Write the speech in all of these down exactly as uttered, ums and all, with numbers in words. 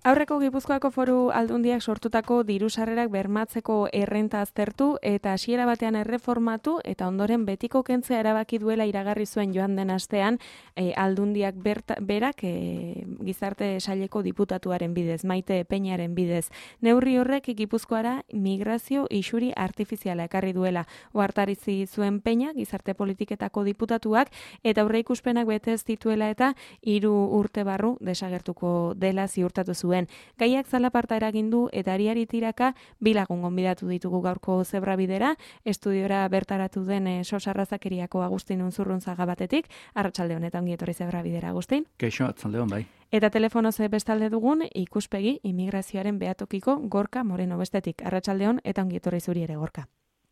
Aurreko Gipuzkoako Foru Aldundiak sortutako diru sarrerak bermatzeko errenta aztertu eta hasiera batean erreformatu eta ondoren betiko kentzea erabaki duela iragarri zuen joan den astean e, Aldundiak berta, berak e, gizarte saileko diputatuaren bidez, Maite Peñaren bidez. Neurri horrek Gipuzkoara migrazio isuri artifiziala ekarri duela. Ohartarazi zuen Peña gizarte politiketako diputatuak eta aurreikuspenak bete ez dituela eta hiru urte barru desagertuko dela ziurtatu zuen. Gaiak zalaparta eragin du eta ariari tiraka bi lagun gonbidatu ditugu gaurko Zebrabidera, estudiora bertaratu den e, Sos Arrazakeriako Agustin Unzurrunzaga batetik. Arratsalde honetan ongi etorri Zebrabidera, Agustin. Kaixo, arratsalde on bai. Eta telefonoz bestalde dugun ikuspegi immigrazioaren behatokiko Gorka Moreno bestetik. Arratsalde on eta ongi etorri zuri ere, Gorka.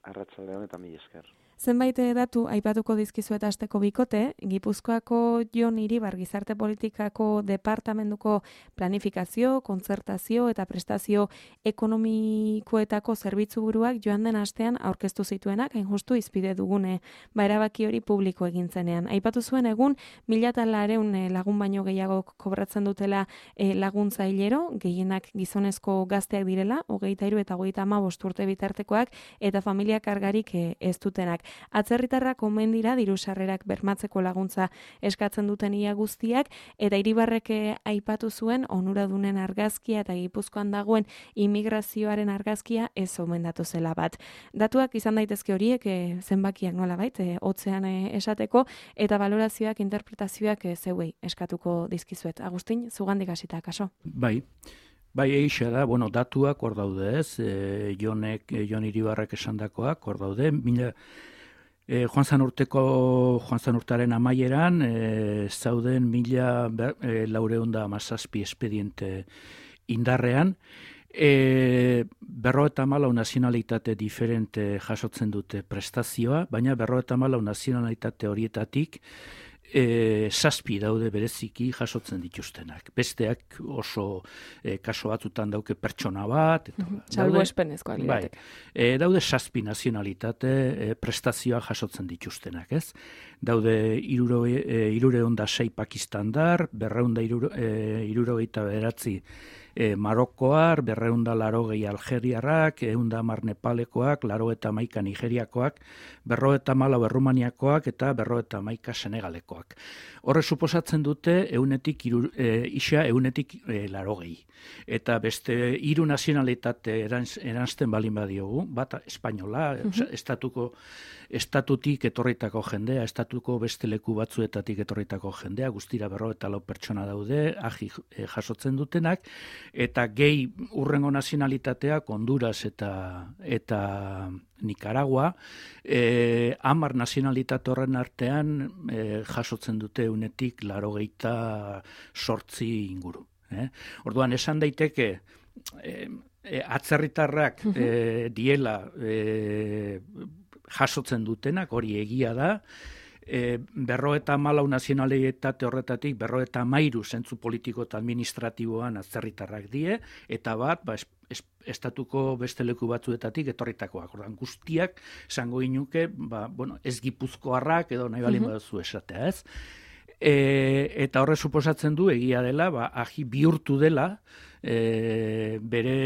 Arratsalde on eta mila esker. Zenbait datu aipatuko dizkizuet asteko bikote, Gipuzkoako Jon Iribar gizarte politikako departamentuko planifikazio, kontzertazio eta prestazio ekonomikoetako zerbitzuburuak joan den astean aurkeztu zituenak, hain justu izpide dugune, ba erabaki hori publiko egin zenean. Aipatu zuen egun mila eta laurehun lagun baino gehiago kobratzen dutela e, laguntza hilero, gehienak gizonezko gazteak direla, hogeita hiru eta hogeita hamabost urte bitartekoak eta familia kargarik e, ez dutenak. Atzerritarrak omen dira diru sarrerak bermatzeko laguntza eskatzen duten ia guztiak eta Iribarrek aipatu zuen onuradunen argazkia eta Gipuzkoan dagoen immigrazioaren argazkia ez omendatu zela bat. Datuak izan daitezke horiek e, zenbakiak nolabait e, hotzean e, esateko eta valorazioak, interpretazioak e, zeuei eskatuko dizkizuet. Agustin, zugandik hasita kaso. Bai. Bai, eixa da, bueno, datuak hor daude ez, e, Jonek, e, Jon Iribarrek esandakoak hor daude, mila, e, joan zan urteko, joan zan urtaren amaieran, e, zauden mila e, laureun da amazazpi espediente indarrean, e, berrogeita hamalau nazionalitate diferente jasotzen dute prestazioa, baina berrogeita hamalau nazionalitate horietatik, E, zazpi daude bereziki jasotzen dituztenak. Besteak oso e, kaso batzutan dauke pertsona bat. Salbuespenezkoak bai, e, daude zazpi nazionalitate e, prestazioa jasotzen dituztenak, ez? Daude hirureun da sei Pakistandar, berreun da hirurogeita bederatzi E, Marokoar, berreun da larogei Algeriarrak, ehun da hamar Nepalekoak, laurogeita hamaika Nigeriakoak, berrogeita hamalau Errumaniakoak eta berrogeita hamaika Senegalekoak. Horre suposatzen dute eunetik iru, e, isa eunetik e, larogei. Eta beste hiru nazionalitate erans, eransten balin badiogu, bat espainola, uh-huh. estatuko estatutik etorritako jendea, estatuko beste leku batzuetatik etorritako jendea, guztira berrogeita lau pertsona daude, ahi e, jasotzen dutenak, eta gehi urrengo nazionalitateak Honduras eta eta Nicaragua, eh, hamar nazionalitate horren artean eh, jasotzen dute unetik laurogeita zortzi inguru. Eh? Orduan esan daiteke eh, eh, atzerritarrak eh, diela eh, jasotzen dutenak, hori egia da, E, berrogeita hamalau nazionalitate horretatik berrogeita hamairu zentzu politiko eta administratiboan atzerritarrak die, eta bat, ba, es, es, estatuko beste leku batzuetatik etorritakoak. Ordan guztiak esango inuke, ba, bueno, ez Gipuzkoarrak edo nahi balin baduzu esatea, ez? E, eta horre suposatzen du egia dela, ba, ahi bihurtu dela, e, bere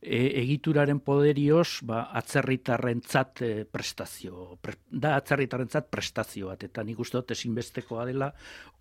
e, egituraren poderioz ba, atzerritarrentzat e, prestazio, pre, da atzerritarrentzat prestazio bat, eta nik uste dut ezinbestekoa dela,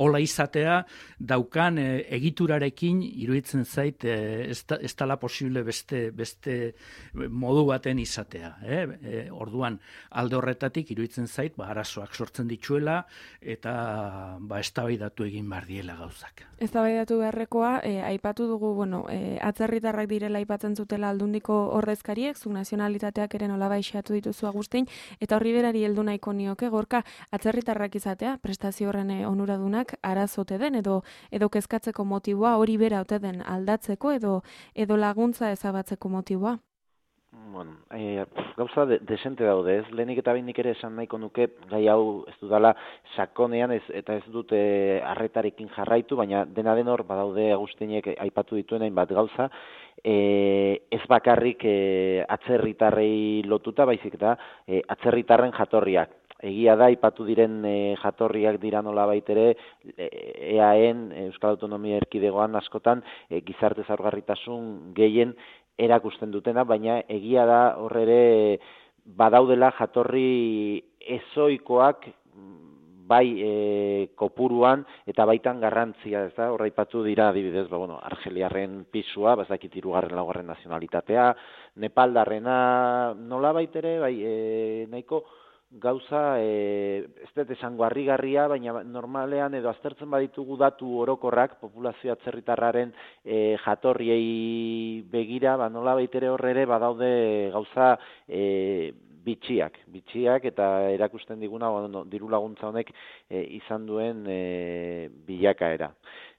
hola izatea daukan e, egiturarekin iruditzen zait e, ez, da, ez dala posible beste, beste modu baten izatea. Eh? E, orduan alde horretatik iruditzen zait ba, arazoak sortzen dituela eta ba, eztabaidatu egin behar diela gauzak. Eztabaidatu beharrekoa, e, aipatu dugu, bueno, e, atzerritarrak direla aipatzen zutela Aldundiko ordezkariek, zuk nazionalitateak ere nola baixatu dituzu Agustin, eta horri berari heldu nahiko nioke, Gorka, atzerritarrak izatea, prestazio horren onuradunak arazote den, edo edo kezkatzeko motiboa, hori bera ote den aldatzeko, edo edo laguntza ezabatzeko motiboa? Bueno, e, gauza de, desente daude, ez? Lehenik eta behin nik ere esan nahiko nuke, gai hau ez dudala sakonean ez, eta ez dute arretarekin jarraitu, baina dena den hor, badaude Agustinek aipatu dituen hainbat gauza, e, ez bakarrik e, atzerritarrei lotuta, baizik eta e, atzerritarren jatorriak. egia da, ipatu diren e, jatorriak dira nolabait ere, E A En, Euskal Autonomia Erkidegoan askotan, e, gizarte zaurgarritasun gehien erakusten dutena, baina egia da horre ere badaudela jatorri ezoikoak bai e, kopuruan eta baitan garrantzia, ez da, horra ipatu dira adibidez, ba, bueno, argeliarren pisua, bazakit hirugarren laugarren nazionalitatea, nepaldarrena nola baitere, bai, e, nahiko gauza, e, ez dut esango harrigarria, baina normalean edo aztertzen baditugu datu orokorrak, populazio atzerritarraren e, jatorriei begira, ba, nola baitere horre ere badaude gauza e, bitxiak, bitxiak eta erakusten diguna bueno, diru laguntza honek e, izan duen e, bilakaera.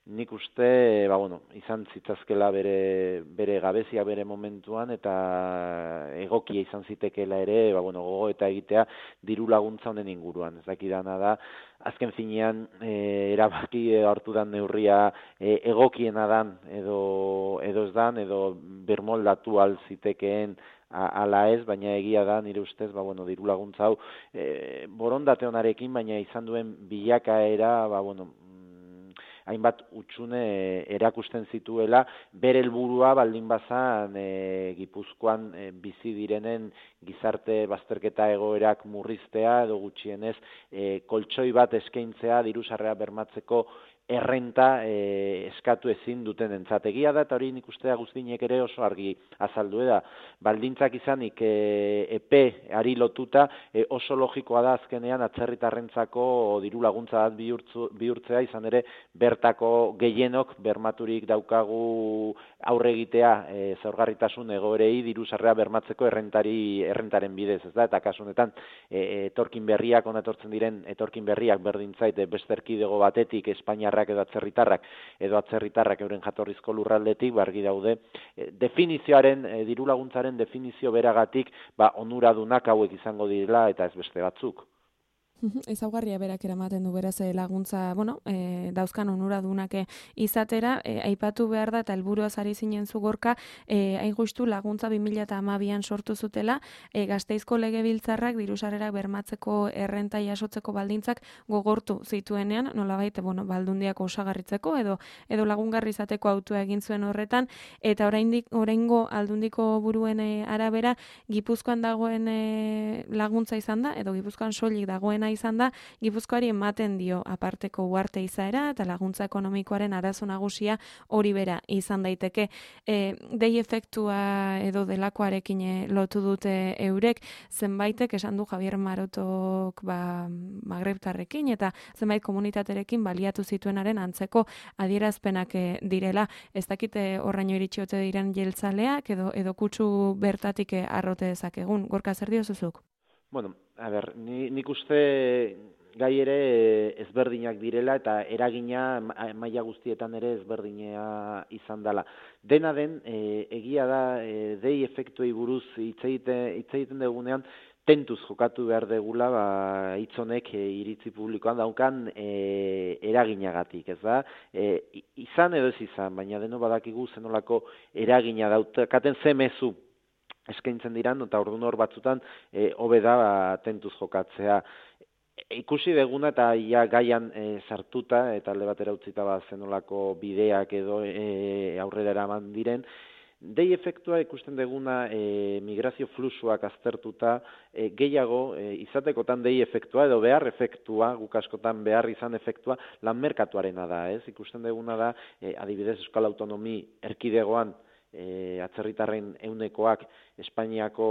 Nik uste, ba, bueno, izan zitzazkela bere, bere gabezia bere momentuan eta egokia izan zitekeela ere, ba, bueno, gogo eta egitea diru laguntza honen inguruan. Ez dakidana da, azken finean e, erabaki hartu dan neurria e, egokiena dan edo, edo ez dan, edo bermoldatu al zitekeen ala ez, baina egia da, nire ustez, ba, bueno, diru laguntza hau, e, borondate honarekin, baina izan duen bilakaera, ba, bueno, hainbat utxune erakusten zituela, bere helburua baldin bazan e, Gipuzkoan e, bizi direnen gizarte bazterketa egoerak murriztea, edo gutxienez e, koltsoi bat eskaintzea diru sarrera bermatzeko errenta e, eskatu ezin duten entzategia da, eta hori nik ustea guztinek ere oso argi azaldu da. Baldintzak izanik e, epe ari lotuta e, oso logikoa da azkenean atzerritarrentzako diru laguntza bat bihurtzu, bihurtzea, izan ere bertako gehienok bermaturik daukagu aurre egitea e, zaurgarritasun egoerei diru sarrera bermatzeko errentari errentaren bidez, ez da, eta kasu honetan e, etorkin berriak, ona etortzen diren etorkin berriak berdintzait beste erkidego batetik Espainiarrak edo atzerritarrak edo atzerritarrak euren jatorrizko lurraldetik bargi daude e, definizioaren e, diru laguntzaren definizio beragatik ba onuradunak hauek izango direla eta ez beste batzuk. Ezaugarria berak eramaten du beraz laguntza, bueno, e, dauzkan onuradunak izatera, e, aipatu behar da eta helburuaz ari zinen zu Gorka, e, hain justu laguntza bi mila hamabian sortu zutela, e, Gasteizko Legebiltzarrak diru sarrerak bermatzeko errenta jasotzeko baldintzak gogortu zituenean, nolabait, bueno, baldundiak osagarritzeko edo edo lagungarri izateko autua egin zuen horretan, eta oraindik oraingo aldundiko buruen e, arabera Gipuzkoan dagoen e, laguntza izan da edo Gipuzkoan soilik dagoena izan da, Gipuzkoari ematen dio aparteko uharte izaera eta laguntza ekonomikoaren arazo nagusia hori bera izan daiteke. E, dei efektua edo delakoarekin lotu dute eurek, zenbaitek esan du Javier Marotok ba, magrebtarrekin eta zenbait komunitaterekin baliatu zituenaren antzeko adierazpenak direla. Ez dakite horraino iritsi ote diren jeltzaleak edo, edo kutsu bertatik arrote dezakegun. Gorka, zer diozuzuk? Bueno, a ber, ni, nik uste gai ere ezberdinak direla eta eragina maila guztietan ere ezberdinea izan dela. Dena den, e, egia da, e, dei efektuei buruz hitz egiten dugunean, tentuz jokatu behar degula, ba, hitzonek e, iritzi publikoan daukan e, eraginagatik, ez da? E, izan edo ez izan, baina deno badakigu zenolako eragina dautakaten ze mezu eskaintzen diran, eta orduan hor batzutan hobe e, da ba, tentuz jokatzea. E, ikusi deguna eta ia gaian e, sartuta, eta alde batera utzita ba, zenolako bideak edo e, aurrera eraman diren, dei efektua ikusten deguna e, migrazio fluxuak aztertuta, e, gehiago e, izatekotan dei efektua edo behar efektua, guk askotan behar izan efektua, lan merkatuarena da, ez? Ikusten deguna da, e, adibidez Euskal Autonomi Erkidegoan, E, atzerritarren eunekoak Espainiako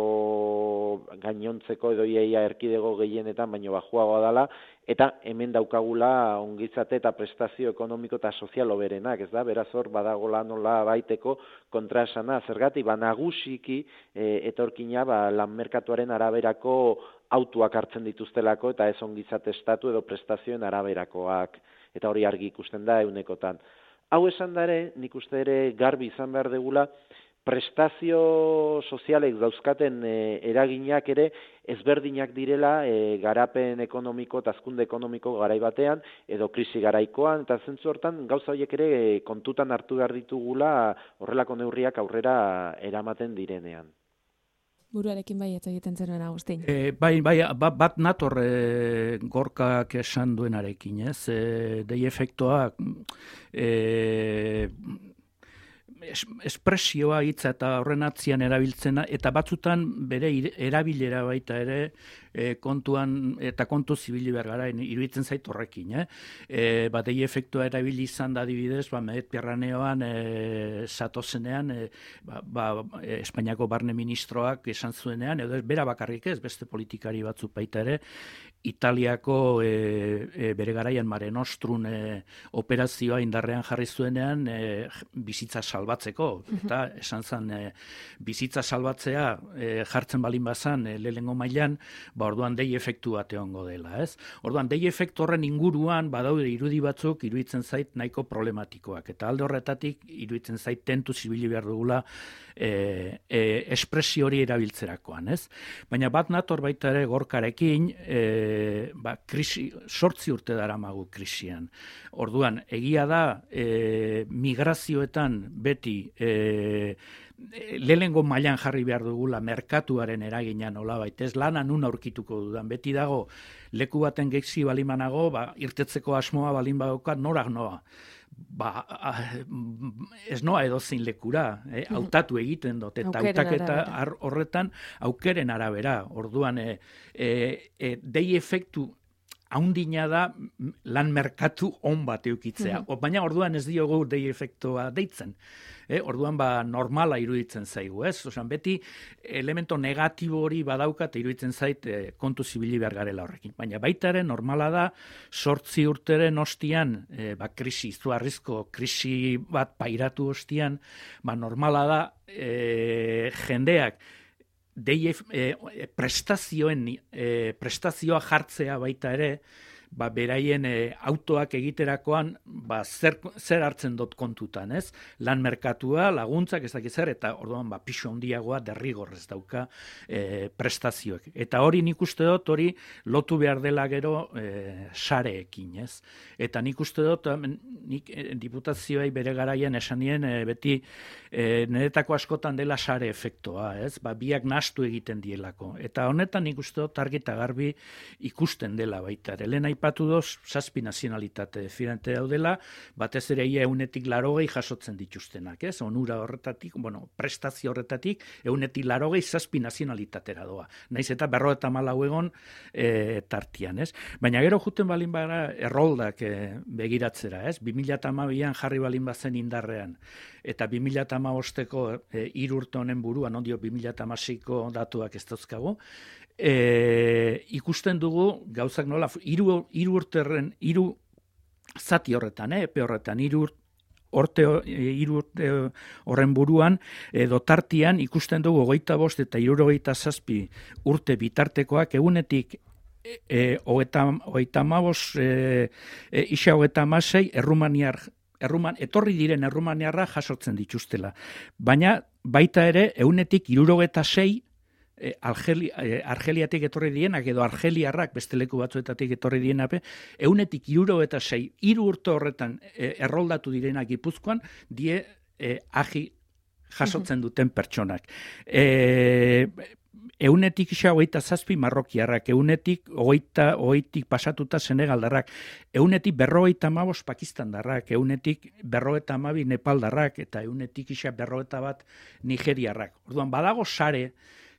gainontzeko edo iaia erkidego gehienetan baino bajuagoa dela, eta hemen daukagula ongizate eta prestazio ekonomiko eta sozial hoberenak, ez da, beraz hor badagola nola baiteko kontraesana, zergatik, ba nagusiki e, etorkina ba, lan merkatuaren araberako autuak hartzen dituztelako eta ez ongizate estatu edo prestazioen araberakoak, eta hori argi ikusten da eunekotan. Hau esan dare, nik uste ere garbi izan behar degula, prestazio sozialek dauzkaten e, eraginak ere ezberdinak direla e, garapen ekonomiko eta hazkunde ekonomiko garai batean edo krisi garaikoan, eta zentzu hortan gauza horiek ere e, kontutan hartu behar ditugula horrelako neurriak aurrera eramaten direnean. Buruarekin bai ez egiten zenuen Agustin. E, bai, bai, bat, bat nator e, Gorkak esan duenarekin, ez? E, dei efektoak e, es, espresioa hitza eta horren atzian erabiltzena, eta batzutan bere erabilera baita ere e, kontuan eta kontu zibili behar gara, iruditzen zait horrekin. Eh? E, ba, dei efektua erabili izan da adibidez, ba, Mediterraneoan e, satozenean, e, ba, ba, Espainiako barne ministroak esan zuenean, edo ez, bera bakarrik ez, beste politikari batzuk baita ere, Italiako e, e, bere garaian Mare Nostrum e, operazioa indarrean jarri zuenean e, bizitza salbatzeko, eta esan zen e, bizitza salbatzea e, jartzen balin bazan e, lehengo mailan, ba orduan dei efektu bat egongo dela, ez? Orduan dei efektu horren inguruan badaude irudi batzuk iruditzen zait nahiko problematikoak, eta alde horretatik iruditzen zait tentu zibili behar dugula e, e, espresio hori erabiltzerakoan, ez? Baina bat nator baita ere Gorkarekin, e, ba, krisi, sortzi urte daramagu krisian. Orduan, egia da e, migrazioetan beti e, lehengo mailan jarri behar dugula merkatuaren eragina nolabait, ez lana nun aurkituko dudan, beti dago leku baten geixi balimanago, ba, irtetzeko asmoa balin badaukat norak noa. Ba, ez noa edozein lekura, eh? Hautatu egiten dut, eta hautaketa horretan aukeren arabera. Orduan, e, e, e, dei efektu haundina da lan merkatu on bat eukitzea. Mm-hmm. Baina orduan ez diogu dei efektua deitzen. Eh? Orduan ba normala iruditzen zaigu, ez? Osan, beti elemento negatibo hori badaukat iruditzen zait eh, kontu zibili behar garela horrekin. Baina baita ere normala da sortzi urteren ostian, eh, ba krisi, izugarrizko krisi bat pairatu ostian, ba normala da eh, jendeak dei e, prestazioen e, prestazioa jartzea baita ere, ba beraien e, autoak egiterakoan ba zer, zer hartzen dut kontutan, ez? Lan merkatua, laguntzak, ez dakiz zer, eta orduan ba pisu handiagoa derrigorrez dauka e, prestazioek. Eta hori nik uste dut hori lotu behar dela gero e, sareekin, ez? Eta nik uste dut nik e, diputazioei bere garaian esan nien e, beti e, niretako askotan dela sare efektoa, ez? Ba biak nahastu egiten dielako. Eta honetan nik uste dut argi eta garbi ikusten dela baita ere. Lehen aipatu doz, zazpi nazionalitate diferente daudela, batez ere ia eunetik larogei jasotzen dituztenak, ez? Onura horretatik, bueno, prestazio horretatik, eunetik larogei zazpi nazionalitatera doa. Naiz eta berro eta malau egon e, tartian, ez? Baina gero juten balin bara erroldak e, begiratzera, ez? bi mila hamabian jarri balin bazen indarrean, eta bi mila hamabosteko e, hiru urte honen buruan, ondio bi mila hamaseiko datuak ez dauzkagu, E, ikusten dugu gauzak nola hiru hiru urterren hiru zati horretan, eh, epe horretan hiru urte hiru urte horren buruan edo tartian ikusten dugu hogeita bost eta hirurogeita zazpi urte bitartekoak egunetik e, hogeita hamabost e, e, isa hogeita hamasei errumaniar Erruman, etorri diren errumaniarra jasotzen dituztela. Baina baita ere egunetik hirurogeita sei E, Argeli, e, Argeliatik etorri dienak edo Argeliarrak beste leku batzuetatik etorri dienape, eunetik hiru eta sei, hiru urte horretan e, erroldatu direnak Gipuzkoan, die e, agi jasotzen duten pertsonak. E, eunetik isa hogeita zazpi marrokiarrak, eunetik hogeita, hogeitik pasatuta senegaldarrak, eunetik berrogeita hamabost pakistandarrak, eunetik berrogeita hamabi nepaldarrak, eta eunetik isa berrogeita bat nigeriarrak. Orduan, badago sare,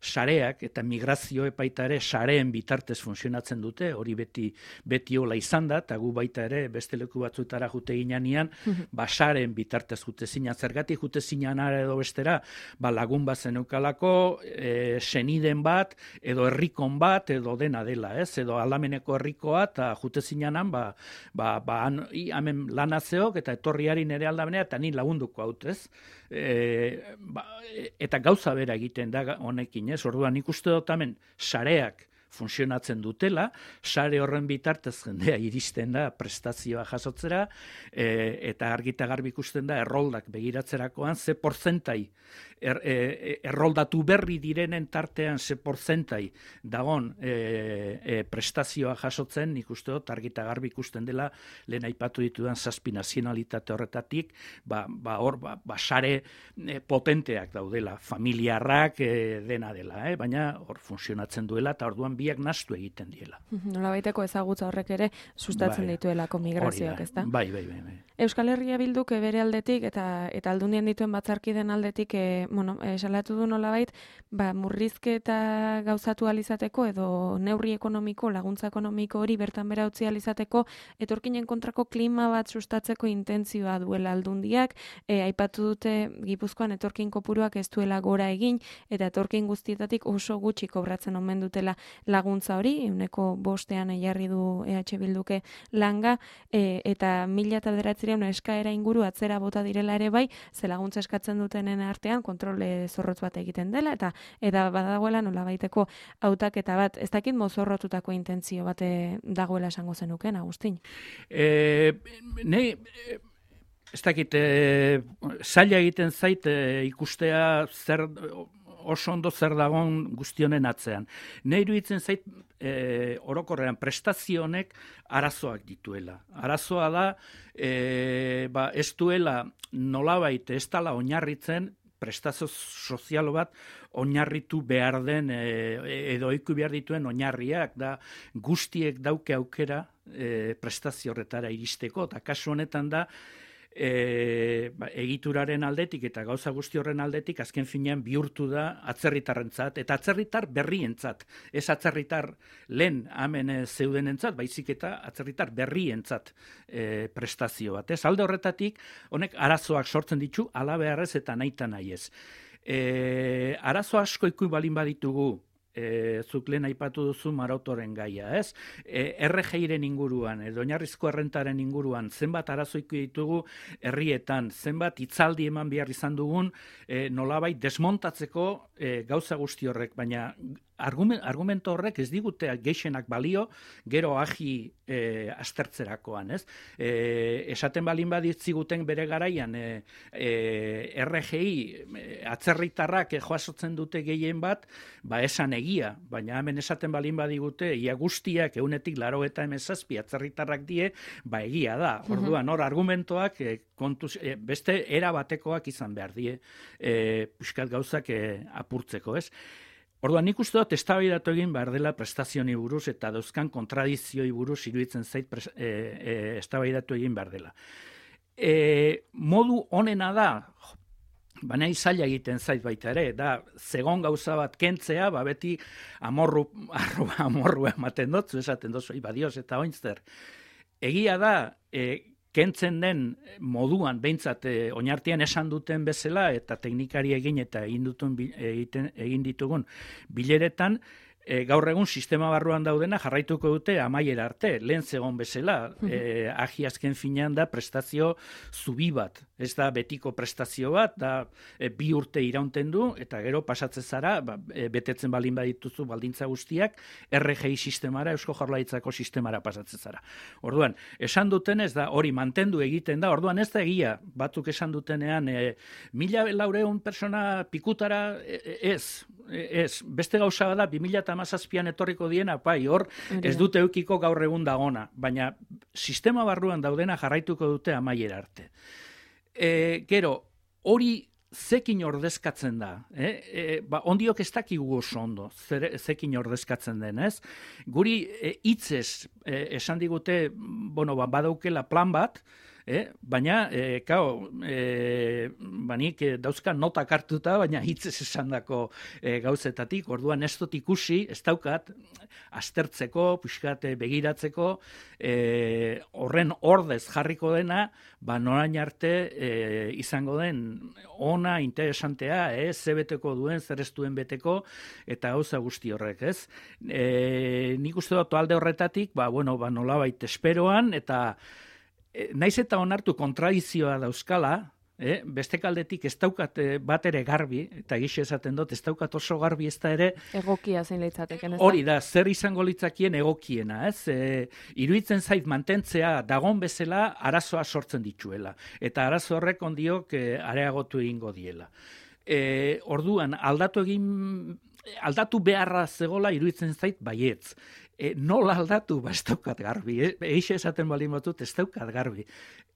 sareak eta migrazio epaita ere sareen bitartez funtzionatzen dute, hori beti beti hola izan da, eta gu baita ere beste leku batzuetara jute ginean, ba sareen bitartez jute zinan, zergatik jute zinan edo bestera, ba lagun bat zeneukalako, e, seniden bat, edo herrikon bat, edo dena dela, ez? Edo aldameneko herrikoa, eta jute zinanan, ba, ba, ba han, hemen lanazeok, eta etorriari nere aldamenea, eta ni lagunduko haut, ez? E, ba, eta gauza bera egiten da honekin, ez? Orduan nik uste dut hemen sareak funtzionatzen dutela, sare horren bitartez jendea iristen da prestazioa jasotzera, e, eta argita garbi ikusten da erroldak begiratzerakoan ze porzentai er, e, erroldatu berri direnen tartean ze porzentai dagon e, e, prestazioa jasotzen, nik uste dut argita garbi ikusten dela lehen aipatu ditudan zazpi nazionalitate horretatik, ba, ba hor, ba, ba sare e, potenteak daudela, familiarrak e, dena dela, eh? Baina hor funtzionatzen duela eta orduan biak nahastu egiten diela. Nolabaiteko ezagutza horrek ere sustatzen bai, dituelako migrazioak, ezta? Bai, bai, bai, bai. Euskal Herria Bilduk bere aldetik eta eta Aldundien dituen batzarkiden aldetik e, bueno, e, salatu du nolabait, ba murrizketa gauzatu ahal izateko edo neurri ekonomiko, laguntza ekonomiko hori bertan bera utzi ahal izateko etorkinen kontrako klima bat sustatzeko intentzioa duela Aldundiak, e, aipatu dute Gipuzkoan etorkin kopuruak ez duela gora egin eta etorkin guztietatik oso gutxi kobratzen omen dutela laguntza hori, ehuneko bostean jarri du E H Bilduke langa, e, eta mila eta bederatziehun eskaera inguru atzera bota direla ere bai, ze laguntza eskatzen dutenen artean kontrole zorrotz bat egiten dela, eta eta badagoela nolabaiteko hautaketa bat, ez dakit mozorrotutako intentzio bate dagoela esango zenuken, Agustin? E, ne, ez dakit, e, zaila egiten zait e, ikustea zer oso ondo zer dagoen guztionen atzean. Ne iruditzen zait e, orokorrean prestazio honek arazoak dituela. Arazoa da, e, ba, ez duela nolabait ez dela oinarritzen prestazio sozial bat oinarritu behar den e, edo iku behar dituen oinarriak da guztiek dauke aukera e, prestazio horretara iristeko, eta kasu honetan da E, ba, egituraren aldetik eta gauza guzti horren aldetik azken finean bihurtu da atzerritarrentzat eta atzerritar berrientzat, ez atzerritar lehen hemen zeudenentzat, baizik eta atzerritar berrientzat e, prestazio bat. Ez alde horretatik honek arazoak sortzen ditu hala beharrez eta nahita nahi ez. E, arazo asko iku balin baditugu, E, zuk lehen aipatu duzu marautoren gaia, ez? E, R G I-ren inguruan, edo oinarrizko errentaren inguruan, zenbat arazoiku ditugu herrietan, zenbat hitzaldi eman behar izan dugun, e, nolabait desmontatzeko e, gauza guzti horrek, baina argumento horrek ez digute gehienak balio, gero agi e, aztertzerakoan, ez? E, esaten balin baditziguten bere garaian, e, e, R G I atzerritarrak joasotzen dute gehien bat, ba esan egia, baina hemen esaten balin badigute, ia guztiak eunetik laro eta emezazpi atzerritarrak die, ba egia da. Orduan, hor argumentoak e, kontuz, e, beste era batekoak izan behar die, e, puskat gauzak e, apurtzeko, ez? Orduan, nik uste dut eztabaidatu egin behar dela prestazioni buruz eta dauzkan kontradizioi buruz iruditzen zait e, e, eztabaidatu egin behar dela. E, modu honena da, baina izaila egiten zait baita ere, da zegon gauza bat kentzea, ba beti amorru, arru, amorrua ematen dutzu, esaten dozu, badioz eta oinzter. Egia da, e, kentzen den moduan, behintzat e, oinartian esan duten bezala, eta teknikari egin eta egin, dutun, egiten, egin ditugun bileretan, E, gaur egun sistema barruan daudena jarraituko dute amaiera arte, lehen zegon bezala, e, agi azken finean da prestazio zubi bat, ez da betiko prestazio bat, da e, bi urte iraunten du, eta gero pasatzen zara, ba, e, betetzen balin badituzu baldintza guztiak, R G I sistemara, Eusko Jaurlaritzako sistemara pasatzen zara. Orduan, esan duten ez da, hori mantendu egiten da, orduan ez da egia, batzuk esan dutenean, e, mila laureun persona pikutara, e, ez, ez, beste gauza da, bi mila hamazazpian etorriko diena, pai, hor, ez dute eukiko gaur egun dagona, baina sistema barruan daudena jarraituko dute amaiera arte. E, gero, hori zekin ordezkatzen da, eh? E, ba, ondiok ez dakigu oso ondo, zer, zekin ordezkatzen den, ez? Guri e, hitzez e, esan digute, bueno, ba, badaukela plan bat, Eh, baina, e, kao, e, banik e, dauzka notak hartuta, baina hitzez esandako e, gauzetatik, orduan ez dut ikusi, ez daukat, aztertzeko, puxkat begiratzeko, e, horren ordez jarriko dena, ba norain arte e, izango den ona, interesantea, eh, ze beteko duen, zer ez duen beteko, eta gauza guzti horrek, ez? E, nik uste dut alde horretatik, ba, bueno, ba, nolabait esperoan, eta naiz eta onartu kontradizioa dauzkala, eh? beste kaldetik ez daukat bat ere garbi, eta egixe esaten dut, ez daukat oso garbi ez da ere... Egokia zein litzateken, ez da? Hori da, zer izango litzakien egokiena, ez? E, iruditzen zait mantentzea dagon bezala arazoa sortzen dituela, eta arazo horrek ondiok e, areagotu egingo diela. E, orduan, aldatu egin... Aldatu beharra zegola iruditzen zait baietz. E, nola aldatu, ba, ez daukat garbi. E, eixe esaten baldin batut, ez daukat garbi.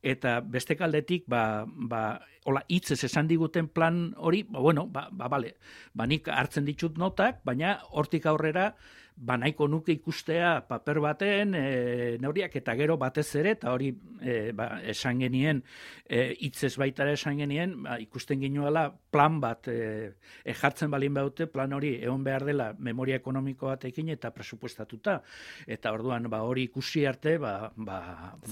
Eta beste kaldetik, ba, ba, hola, hitzez esan diguten plan hori, ba, bueno, ba, ba, bale, ba, nik hartzen ditut notak, baina hortik aurrera, ba, nahiko nuke ikustea paper baten, e, neuriak eta gero batez ere, eta hori e, ba, esan genien, e, hitzez baitara esan genien, ba, ikusten ginuela plan bat e, e, jartzen balin baute, plan hori egon behar dela memoria ekonomiko batekin eta presupuestatuta. Eta orduan, ba, hori ikusi arte, ba, ba,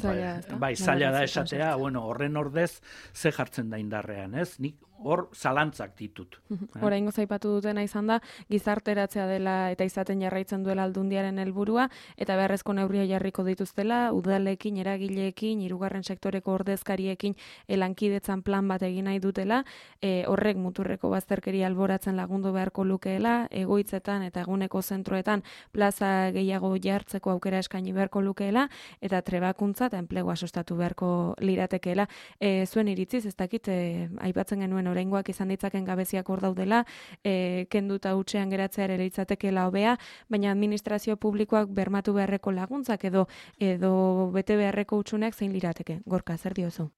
zaila, ba, bai, zaila da esatea, bueno, horren ordez ze jartzen da indarrean, ez? Nik hor zalantzak ditut. Oraingo zaipatu dutena izan da, gizarteratzea dela eta izaten jarraitzen duela aldundiaren helburua, eta beharrezko neurria jarriko dituztela, udalekin, eragileekin, hirugarren sektoreko ordezkariekin lankidetzan plan bat egin nahi dutela, e, horrek muturreko bazterkeria alboratzen lagundu beharko lukeela, egoitzetan eta eguneko zentroetan plaza gehiago jartzeko aukera eskaini beharko lukeela, eta trebakuntza eta enplegua sustatu beharko liratekeela. E, zuen iritziz, ez dakit, e, aipatzen genuen oraingoak izan ditzaken gabeziak hor daudela, e, kenduta hutsean geratzea ere litzatekeela hobea, baina administrazio publikoak bermatu beharreko laguntzak edo edo bete beharreko hutsuneak zein lirateke. Gorka, zer diozu?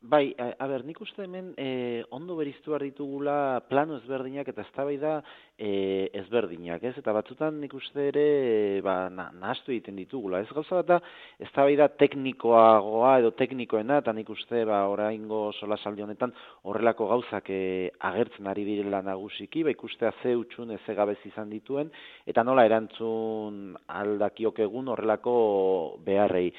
Bai, a, a ber, nik uste hemen eh, ondo beriztu behar ditugula plano ezberdinak eta eztabaida eh, ezberdinak, ez? Eta batzutan nik uste ere eh, ba, na, nahastu egiten ditugula, ez? Gauza bat da, eztabaida teknikoagoa edo teknikoena, eta nik uste ba, oraingo solasaldi honetan horrelako gauzak eh, agertzen ari direla nagusiki, ba, ikustea ze hutsun ze gabez izan dituen, eta nola erantzun aldakiok egun horrelako beharrei.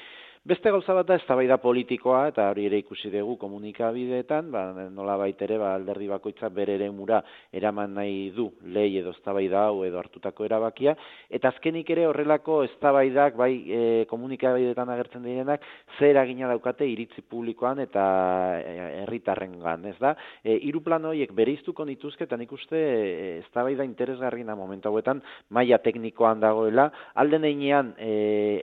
Beste gauza bat da eztabaida politikoa, eta hori ere ikusi dugu komunikabideetan, ba, nola baitere ba, alderdi bakoitza bere eremura eraman nahi du lei edo eztabaida hau edo hartutako erabakia, eta azkenik ere horrelako eztabaidak bai e, komunikabideetan agertzen direnak zer eragina daukate iritzi publikoan eta herritarrengan, ez da? E, hiru plan horiek bereiztuko nituzke, eta nik uste e, eztabaida interesgarriena momentu hauetan maila teknikoan dagoela, alden heinean e,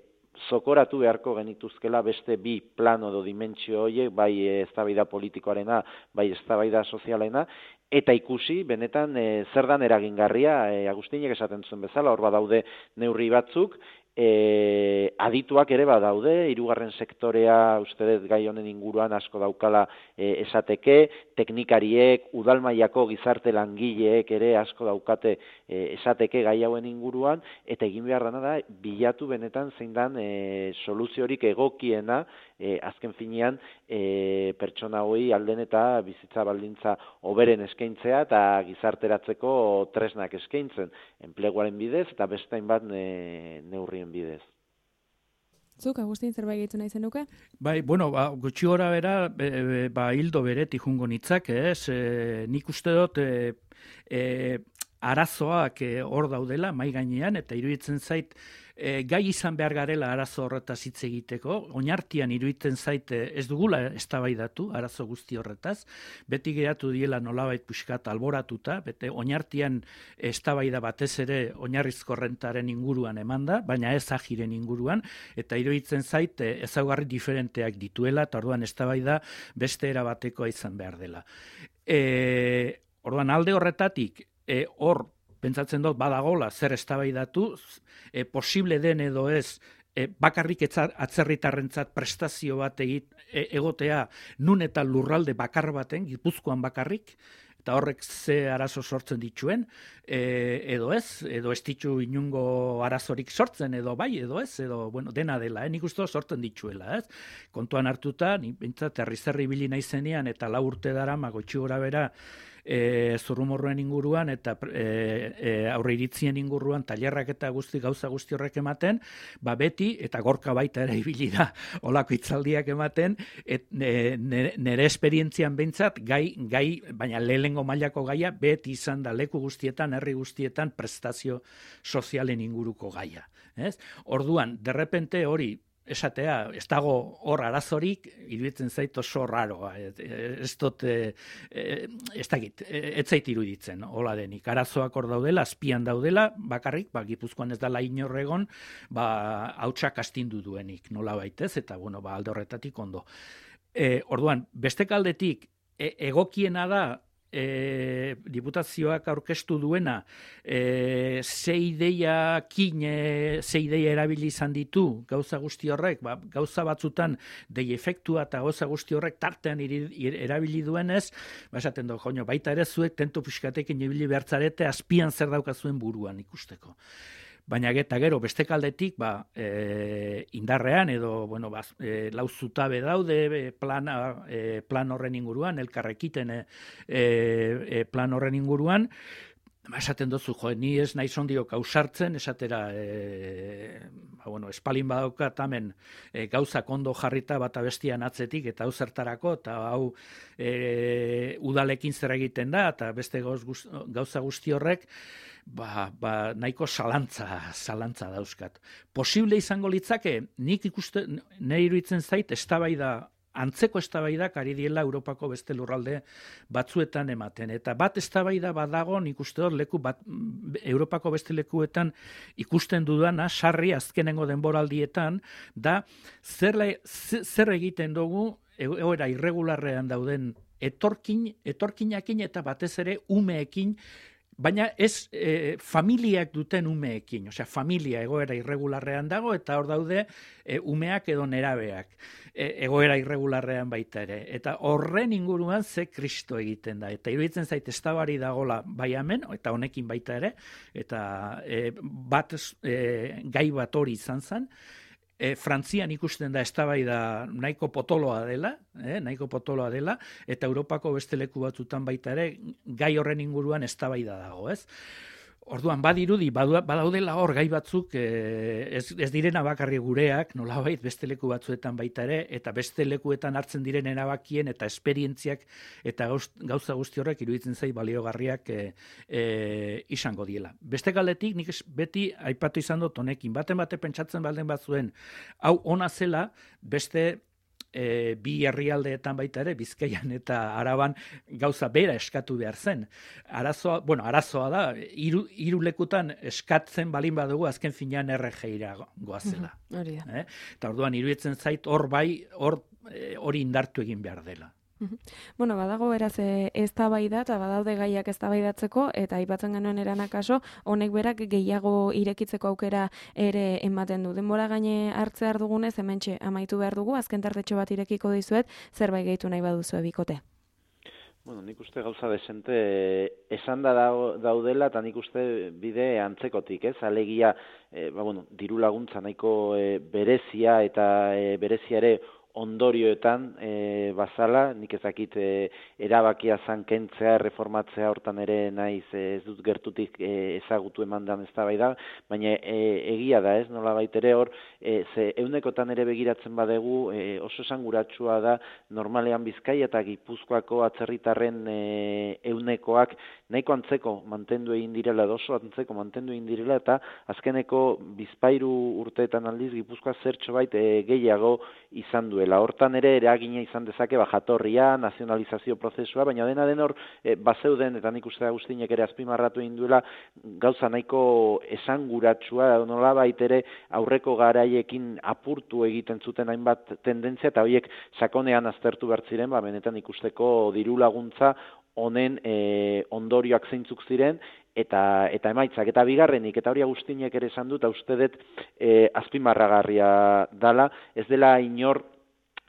zokoratu beharko genituzkela beste bi plano edo dimentsio horiek, bai eztabaida politikoarena, bai eztabaida sozialena, eta ikusi, benetan, e, zer dan eragingarria, e, Agustinek esaten zuen bezala, hor badaude neurri batzuk, E, adituak ere badaude, hirugarren sektorea uste dut gai honen inguruan asko daukala e, esateke, teknikariek, udalmailako gizarte langileek ere asko daukate e, esateke gai hauen inguruan, eta egin behar dana da, bilatu benetan zein dan e, soluziorik egokiena, e, azken finean e, pertsona hoi alden eta bizitza baldintza hoberen eskaintzea eta gizarteratzeko tresnak eskaintzen, enpleguaren bidez eta beste hainbat ne, neurri bidez. Zuk, Agustin, zerbait gehitu nahi zenuke? Bai, bueno, ba, gutxi gora bera, e, e, ba, hildo beretik jungo nitzak, ez? E, nik uste dut, e, e, arazoak e, hor daudela, mai gainean, eta iruditzen zait, e, gai izan behar garela arazo horretaz hitz egiteko, oinartian iruditzen zait ez dugula eztabaidatu arazo guzti horretaz, beti geratu diela nolabait pixkat alboratuta, bete oinartian eztabaida batez ere oinarrizko rentaren inguruan emanda, baina ez agiren inguruan, eta iruditzen zait ezaugarri diferenteak dituela, eta orduan eztabaida beste era batekoa izan behar dela. E, orduan alde horretatik, e, hor pentsatzen dut badagola zer eztabaidatu, e, posible den edo ez, e, bakarrik atzerritarrentzat prestazio bat egit, e, egotea nun eta lurralde bakar baten, Gipuzkoan bakarrik, eta horrek ze arazo sortzen dituen, e, edo ez, edo ez ditu inungo arazorik sortzen, edo bai, edo ez, edo bueno, dena dela, eh? Nik uste sortzen dituela, ez? Kontuan hartuta, nik bintzat herri-zerri bili naizenean, eta lau urte dara, magotxi gora bera, E, zurrumorroen inguruan eta e, e, aurre iritzien inguruan tailerrak eta guzti gauza guzti horrek ematen, ba beti, eta Gorka baita ere ibili da olako hitzaldiak ematen, et, e, nere, nere esperientzian behintzat, gai, gai, baina lehengo mailako gaia, beti izan da leku guztietan, herri guztietan prestazio sozialen inguruko gaia. Ez? Orduan, derrepente hori, esatea, ez dago hor arazorik, iruditzen zait oso raroa. Ez dut, ez dakit, ez zait iruditzen, hola denik. Arazoak hor daudela, azpian daudela, bakarrik, ba, Gipuzkoan ez dela inorregon, ba, hautsak astindu duenik, nola baitez, eta, bueno, ba, alde horretatik ondo. E, orduan, beste kaldetik, e, egokiena da, E, diputazioak aurkeztu duena e, ze ideiakin e, ze ideia erabili izan ditu gauza guzti horrek, ba, gauza batzutan dei efektua eta gauza guzti horrek tartean iri, ir, erabili duenez, ba, esaten du, joño, baita ere zuek tentu pixkatekin ibili behartzarete azpian zer daukazuen buruan ikusteko. Baina eta gero beste kaldetik ba, e, indarrean edo bueno, ba, e, lau zutabe daude e, plana, e, plan horren inguruan, elkarrekiten e, e, plan horren inguruan, ba, esaten dozu, jo, ni ez nahi zondiok ausartzen, esatera, e, ba, bueno, espalin badaukat hemen e, gauzak ondo jarrita bata bestian atzetik, eta hau zertarako, eta hau e, udalekin zer egiten da, eta beste gauz, gauza guzti horrek, ba, ba, nahiko zalantza, zalantza dauzkat. Posible izango litzake, nik ikuste, nahi iruditzen zait, eztabaida antzeko eztabaidak ari diela Europako beste lurralde batzuetan ematen. Eta bat eztabaida badago, nik uste dut leku bat, Europako beste lekuetan ikusten dudana, sarri azkenengo denboraldietan, da zer, zer egiten dugu egoera irregularrean dauden etorkin, etorkinakin eta batez ere umeekin, baina ez e, familiak duten umeekin, osea, familia egoera irregularrean dago, eta hor daude e, umeak edo nerabeak e, egoera irregularrean baita ere. Eta horren inguruan ze kristo egiten da. Eta iruditzen zait eztabari dagola bai hemen, eta honekin baita ere, eta e, bat e, gai bat hori izan zen, E, Frantzian ikusten da eztabaida nahiko potoloa dela, eh, nahiko potoloa dela, eta Europako beste leku batzutan baita ere gai horren inguruan eztabaida dago, ez? Orduan badirudi badaudela hor gai batzuk eh, ez, ez direna bakarri gureak, nolabait beste leku batzuetan baita ere, eta beste lekuetan hartzen diren erabakien eta esperientziak eta gauz, gauza guzti horrek iruditzen zait baliogarriak eh, eh, izango diela. Beste galdetik nik beti aipatu izan dut honekin, baten bate pentsatzen balden batzuen, hau ona zela beste E, bi herrialdeetan baita ere, Bizkaian eta Araban gauza bera eskatu behar zen. Arazoa, bueno, arazoa da, hiru, hiru lekutan eskatzen balin badugu azken finean R G ira goazela. Hori da. Eh? Eta orduan iruditzen zait hor bai, hor hori indartu egin behar dela. Bueno, badago beraz eztabaida eta badaude gaiak eztabaidatzeko eta aipatzen genuen eranak kaso, honek berak gehiago irekitzeko aukera ere ematen du. Denbora gaine hartzear dugunez hementxe amaitu behar dugu, azken tartetxo bat irekiko dizuet, zerbait gehitu nahi baduzue bikote. Bueno, nik uste gauza desente esan da daudela eta nik uste bide antzekotik, ez? Alegia, e, ba, bueno, diru laguntza nahiko e, berezia eta e, berezia ere ondorioetan e, bazala, nik ezakit e, erabakia zankentzea, reformatzea hortan ere naiz e, ez dut gertutik e, ezagutu emandan eztabaida, baina e, egia da ez, nola baitere hor, e, ze eunekotan ere begiratzen badegu e, oso esanguratsua da normalean Bizkaia eta Gipuzkoako atzerritarren e, eunekoak nahiko antzeko mantendu egin direla, oso antzeko mantendu egin direla, eta azkeneko bizpairu urteetan aldiz Gipuzkoa zertxo bait e, gehiago izan du. Hortan ere eragina izan dezake ba, jatorria, nazionalizazio prozesua, baina dena den hor e, bazeuden, eta nik uste Agustinek ere azpimarratu egin duela, gauza nahiko esanguratsua, nola baitere aurreko garaiekin apurtu egiten zuten hainbat tendentzia, eta horiek sakonean aztertu behar ziren, ba, benetan ikusteko diru laguntza honen e, ondorioak zeintzuk ziren, eta eta emaitzak, eta bigarrenik, eta hori Agustinek ere esan dut, uste dut e, azpimarragarria dala, ez dela inor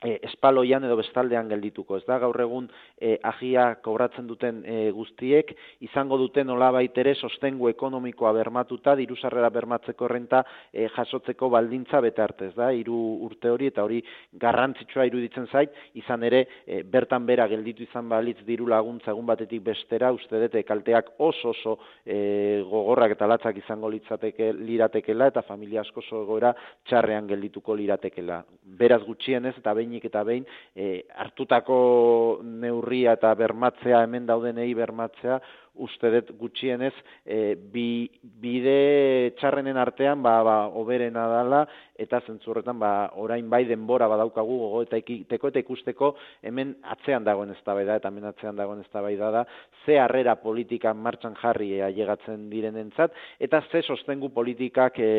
E, espaloian edo bestaldean geldituko, ez da, gaur egun e, agia kobratzen duten e, guztiek, izango duten nolabait ere sostengu ekonomikoa bermatuta, diru sarrera bermatzeko renta e, jasotzeko baldintza bete arte, ez da, hiru urte hori, eta hori garrantzitsua iruditzen zait, izan ere, e, bertan bera gelditu izan balitz diru laguntza egun batetik bestera, uste dute kalteak oso oso e, gogorrak eta latzak izango litzateke liratekela, eta familia asko egoera txarrean geldituko liratekela. Beraz gutxienez, eta behin eta behin e, hartutako neurria eta bermatzea, hemen daudenei bermatzea, uste dut gutxienez e, bi, bide txarrenen artean ba, ba, oberena dala, eta zentzurretan ba, orain bai denbora badaukagu gogo eta ikiteko eta ikusteko hemen atzean dagoen eztabaida eta hemen atzean dagoen eztabaida da ze harrera politika martxan jarri ailegatzen direnentzat eta ze sostengu politikak e,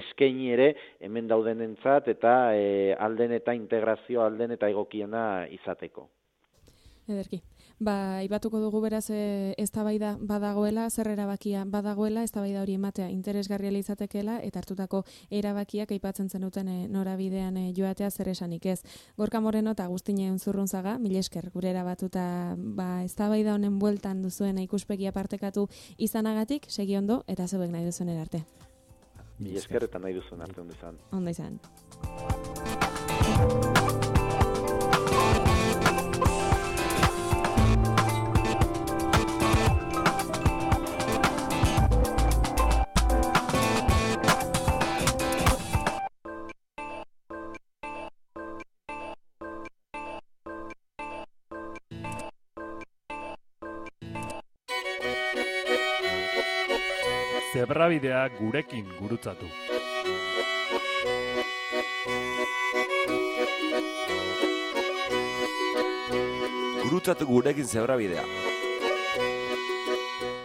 eskaini ere hemen daudenentzat eta e, alden eta integrazio alden eta egokiena izateko. Ederki. Ba, aipatuko dugu beraz e, eztabaida badagoela, zer erabakia badagoela, eztabaida hori ematea interesgarria izatekeela eta hartutako erabakiak aipatzen zenuten e, norabidean e, joatea zer esanik ez. Gorka Moreno eta Agustine Unzurrunzaga, mila esker gure erabatuta ba, eztabaida honen bueltan duzuen ikuspegia partekatu izanagatik, segi ondo eta zeuek nahi duzuen erarte. Mila esker eta nahi duzuen arte ondo izan. Ondo izan. Zebrabidea gurekin gurutzatu. Gurutzatu gurekin zebrabidea.